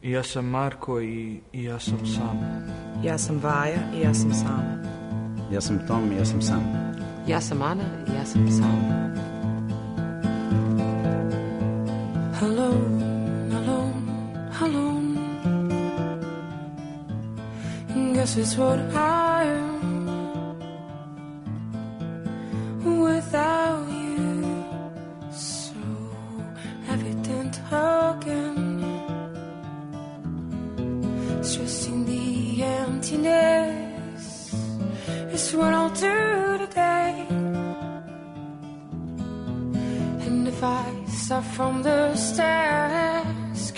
I ja sam Marko i ja sam sam. Ja sam Vaja i ja sam sama. Ja sam Tom i ja sam sam. Ja sam Ana i ja sam sama. Alone, alone, alone. Guess it's what I am without you. So evident again. Stressing the emptiness is what I'll do today. And if I start from the task,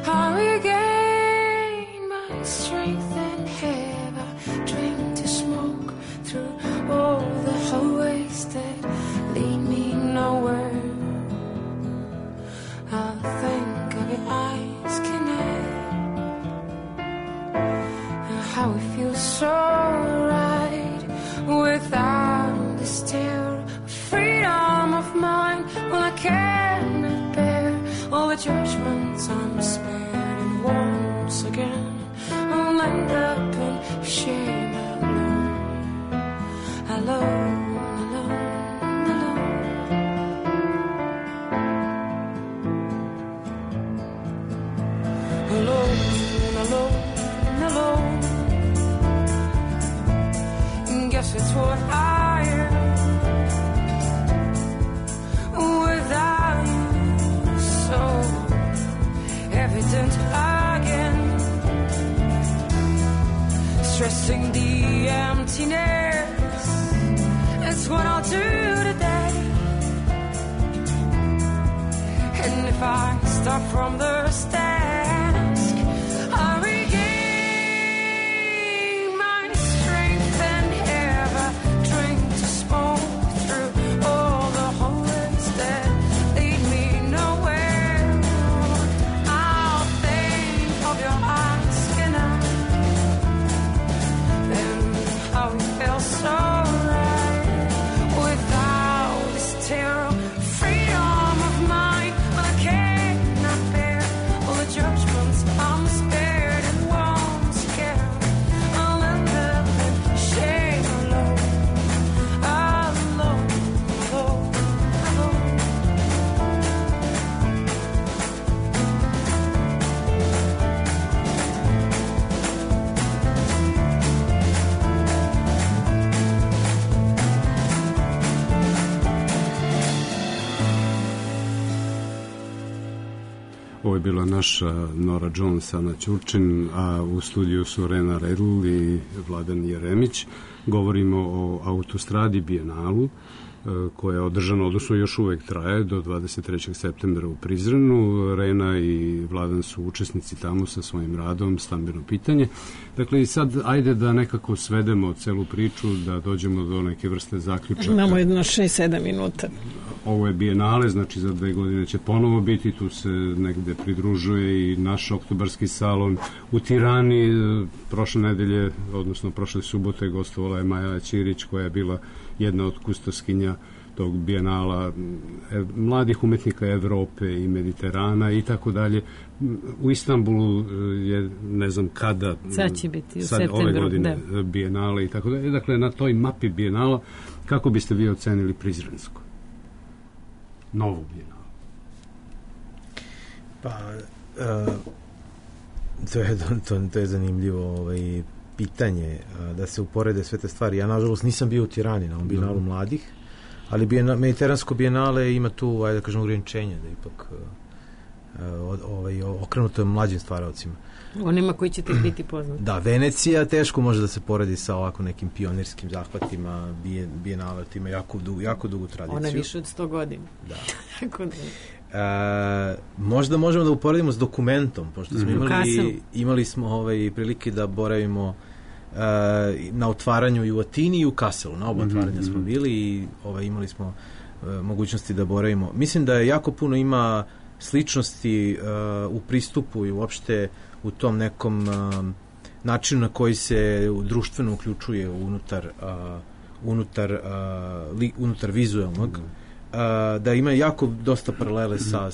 I regain my strength and have a drink to smoke through all the hallways that lead me nowhere. I'll think of your eyes connect and how it feels so right without this terror of freedom of mind when I cannot bear all the judgments I'm spared, and once again I'll end up in shame alone, alone, alone, alone, alone, alone, alone. Guess it's what I am. Evident again, stressing the emptiness is what I'll do today. And if I start from the task, I regain my strength and have a drink to smoke through all the hallways that lead me nowhere. So right without this terror, freedom of mind, but I cannot bear Ovo je bila naša Nora Jones, Ana Ćurčin, a u studiju su Rena Redl i Vladan Jeremić. Govorimo o Autostradi Bijenalu, koja je održana, odnosno još uvek traje do 23. septembra u Prizrenu. Rena i Vladan su učesnici tamo sa svojim radom Stambeno pitanje. Dakle, i sad ajde da nekako svedemo celu priču, da dođemo do neke vrste zaključaka. Imamo jedno 6-7 minuta. Ovo je Bijenale, znači za 2 godine će ponovo biti, tu se negde pridružuje i naš oktobarski salon u Tirani. Prošle nedelje, odnosno prošle subote, gostovala je Maja Ćirić, koja je bila jedna od kustoskinja tog Bijenala mladih umetnika Evrope i Mediterana i tako dalje. U Istanbulu je, ne znam kada, sad će biti u septembru, ove godine Bijenale i tako dalje. Dakle, na toj mapi Bijenala, kako biste vi ocenili Prizrensko? Novu Bijenalu? Pa, to je zanimljivo pitanje, da se uporede sve te stvari. Ja, nažalost, nisam bio u Tirani na ovom Bijenalu mladih, ali Mediteransko Bijenale ima tu, ajde da kažem, ograničenje, da ipak okrenuto je mlađim stvaraocima. Onima koji će tek biti poznati. Da, Venecija teško može da se poredi sa ovako nekim pionirskim zahvatima. Bijenale ima jako dugu tradiciju. Ona više od 100 godina. Da. Tako da. Možda možemo da uporedimo s Dokumentom, pošto smo imali smo prilike da boravimo na otvaranju i u Atini i u Kasselu. Na oba otvaranja smo bili i imali smo mogućnosti da boravimo. Mislim da jako puno ima sličnosti u pristupu i uopšte u tom nekom načinu na koji se društveno uključuje unutar vizualnog, da ima jako dosta paralele sa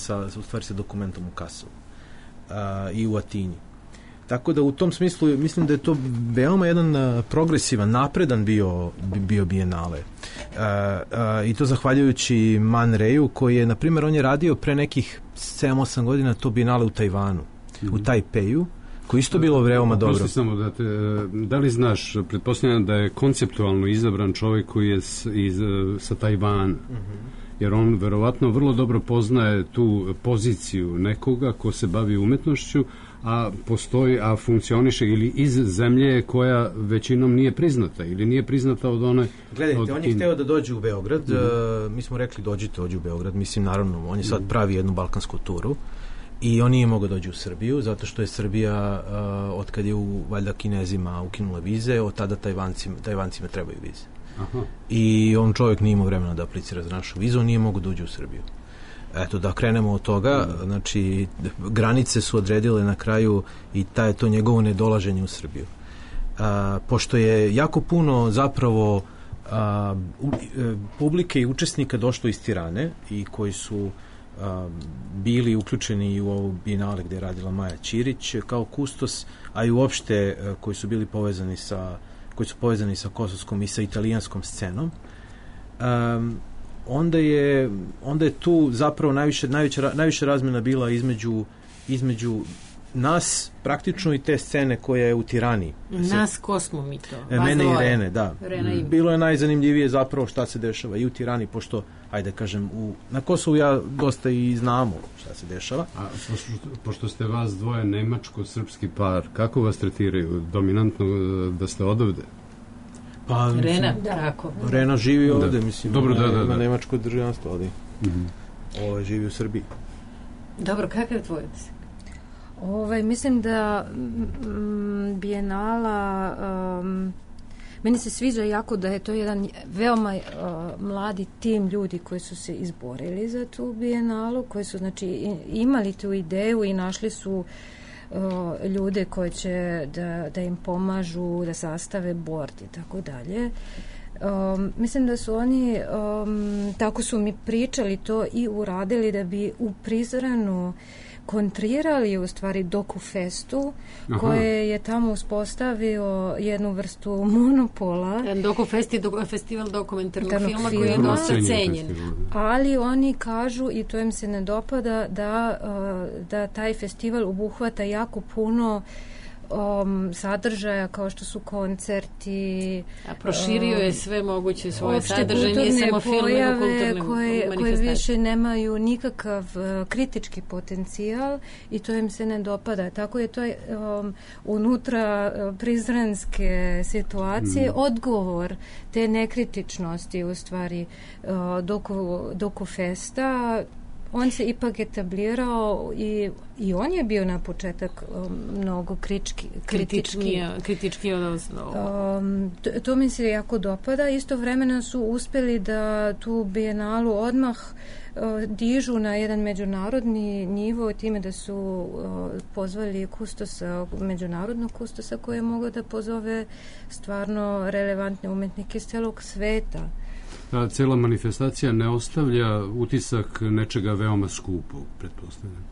Dokumentom u Kasselu i u Atini. Tako da u tom smislu mislim da je to veoma jedan progresivan, napredan bio Bijenale. I to zahvaljujući Man Rayu, koji je, na primjer, on je radio pre nekih 7-8 godina to Bijenale u Tajvanu, u Tajpeju, koji isto bilo veoma dobro. Prosti samo da li znaš, pretpostavljam da je konceptualno izabran čovjek koji je sa Tajvana, jer on verovatno vrlo dobro poznaje tu poziciju nekoga ko se bavi umetnošću, a funkcioniše ili iz zemlje koja većinom nije priznata ili nije priznata od one... Gledajte, on je hteo da dođe u Beograd, mi smo rekli dođi u Beograd, mislim naravno, on je sad pravi jednu balkansku turu i on nije mogao dođi u Srbiju, zato što je Srbija, od kad je valjda Kinezima ukinula vize, od tada Tajvancima trebaju vize. Aha. I on čovjek nije imao vremena da aplicira za našu vizu, on nije mogao da uđe u Srbiju. Eto, da krenemo od toga, znači granice su odredile na kraju i to njegovo nedolaženje u Srbiju. Pošto je jako puno zapravo publike i učesnika došlo iz Tirane i koji su bili uključeni u ovu Bijenale gdje je radila Maja Ćirić kao kustos, a i uopšte koji su bili povezani sa kosovskom i sa italijanskom scenom, onda je tu zapravo najviše razmjena bila između nas praktično i te scene koja je u Tirani. Nas, ko smo mi to? Mene i Rene, da. Bilo je najzanimljivije zapravo šta se dešava i u Tirani, pošto, ajde kažem, na Kosovu ja dosta i znamo šta se dešava. A pošto ste vas dvoje nemačko-srpski par, kako vas tretiraju? Dominantno da ste odavde? Pa, Rena, tako. Rena živi ovde, mislim, ima nemačko državljanstvo, ali živi u Srbiji. Dobro, kakav je tvoj utisak? Mislim da Bijenala meni se sviđa jako da je to jedan veoma mladi tim ljudi koji su se izborili za tu Bijenalu, koji su znači imali tu ideju i našli su ljude koji će da im pomažu da sastave bord i tako dalje. Mislim da su oni tako su mi pričali to i uradili da bi u Prizrenu kontrirali u stvari Dokufestu, koje je tamo uspostavio jednu vrstu monopola. Dokufest je festival dokumentarnog filma koji je dosta cenjen. Ali oni kažu, i to im se ne dopada, da taj festival obuhvata jako puno sadržaja kao što su koncerti. A proširio je sve moguće svoje sadržaje, nije samo film, nego kulturne koji više nemaju nikakav kritički potencijal i to im se ne dopada. Tako je to unutra prizrenske situacije odgovor te nekritičnosti u stvari Doku Festa. On se ipak etablirao i on je bio na početak mnogo kritički od to mi se jako dopada. Istovremeno su uspjeli da tu bijenalu odmah dižu na jedan međunarodni nivo time da su pozvali kustosa, međunarodnog kustosa koji je mogao da pozove stvarno relevantne umetnike iz celog sveta. Ta cijela manifestacija ne ostavlja utisak nečega veoma skupog, pretpostavljam.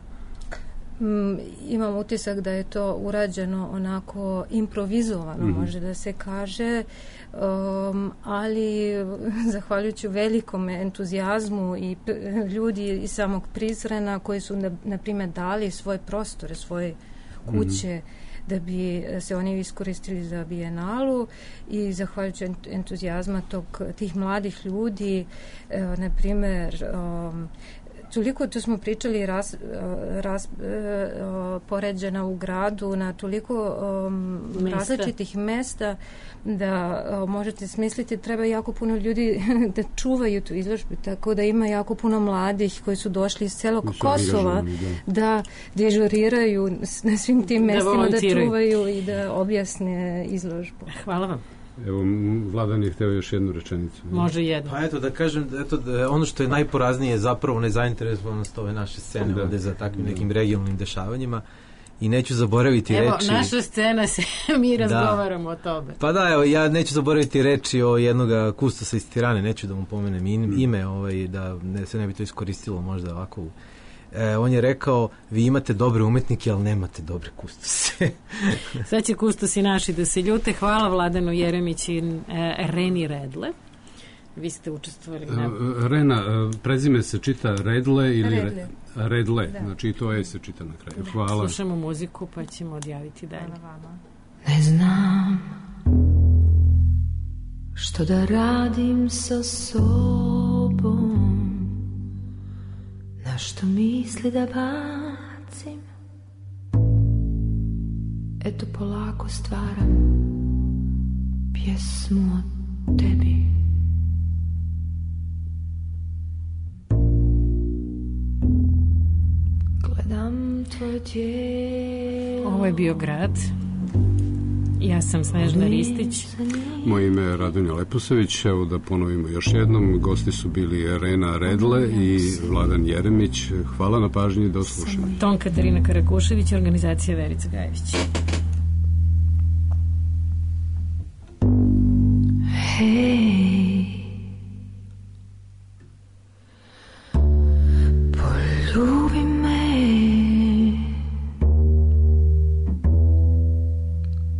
Imam utisak da je to urađeno onako improvizovano, može da se kaže, ali zahvaljujući velikom entuzijazmu i ljudi iz samog Prizrena koji su, na primjer, dali svoje prostore, svoje kuće, da bi se oni iskoristili za bijenalu i zahvaljujući entuzijazma tih mladih ljudi, na primjer, toliko to smo pričali poređena u gradu na toliko različitih mesta da možete smisliti treba jako puno ljudi da čuvaju tu izložbu, tako da ima jako puno mladih koji su došli iz celog Kosova da dežuriraju na svim tim mestima, da čuvaju i da objasne izložbu. Hvala vam. Evo, Vladan je hteo još jednu rečenicu. Može jednu. Pa eto, da kažem, ono što je najporaznije je zapravo nezainteresovanost ove naše scene ovde za takvim nekim regionalnim dešavanjima. I neću zaboraviti reči... Evo, naša scena se, mi razgovaramo o tome. Pa da, evo, ja neću zaboraviti reči o jednog kustosa iz Tirane, neću da mu pomenem ime, da se ne bi to iskoristilo možda ovako. On je rekao, vi imate dobre umetnike, ali nemate dobre kustose. Sad će kustosi naši da se ljute. Hvala Vladanu Jeremić i Reni Redle. Vi ste učestvovali na... Rena, prezime se čita Redle ili... Redle, znači i to se čita na kraju. Hvala. Slušamo muziku pa ćemo odjaviti dalje. Ne znam što da radim sa sobom, na što misli da bacim. Eto polako stvaram pjesmu o tebi. Gledam tvoje tijelo. Ovo je bio Grad. Ja sam Snežana Ristić. Moje ime je Radonja Leposević. Evo da ponovimo još jednom. Gosti su bili Rena Redle i Vladan Jeremić. Hvala na pažnji, do slušanja. Ton Katarina Karakušević, organizacija Verica Gajević. Hej, poljubi me,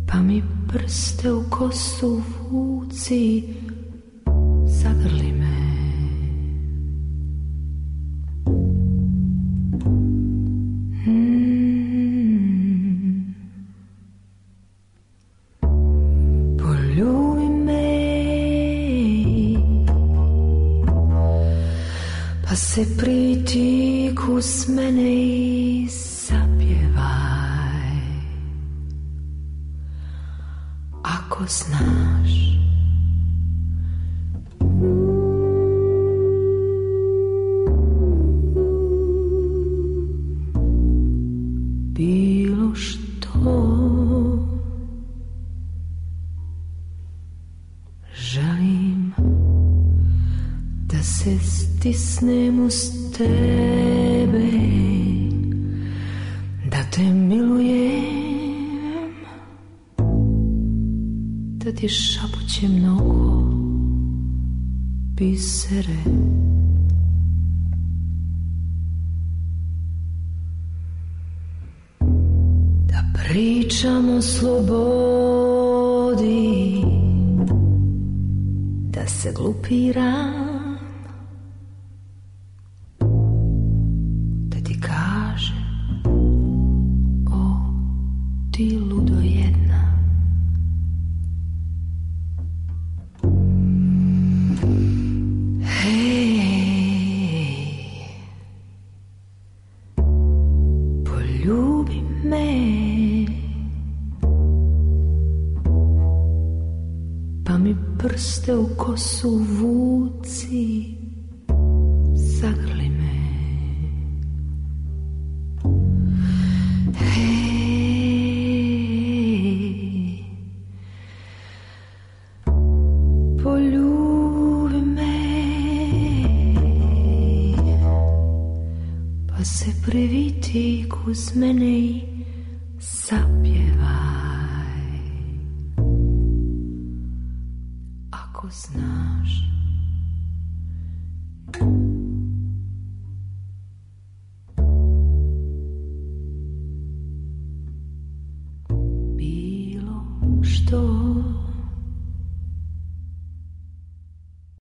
pa mi prste u kosu vuci, zagrli me. Poljubi me, pa se pritiku s mene i zapjevaj. Ako znaš bilo što, želim da se stisnem uz tebe, da te milujem, da ti šapućem mnogo bisere. Da pričam o slobodi, da se glupiram, da ti kažem, o ti ludo jedna. Hej, prste u kosu vuci, zagrli me. Hej, poljubi me, pa se priviti uz mene i zapjevaj. Ako znaš, bilo što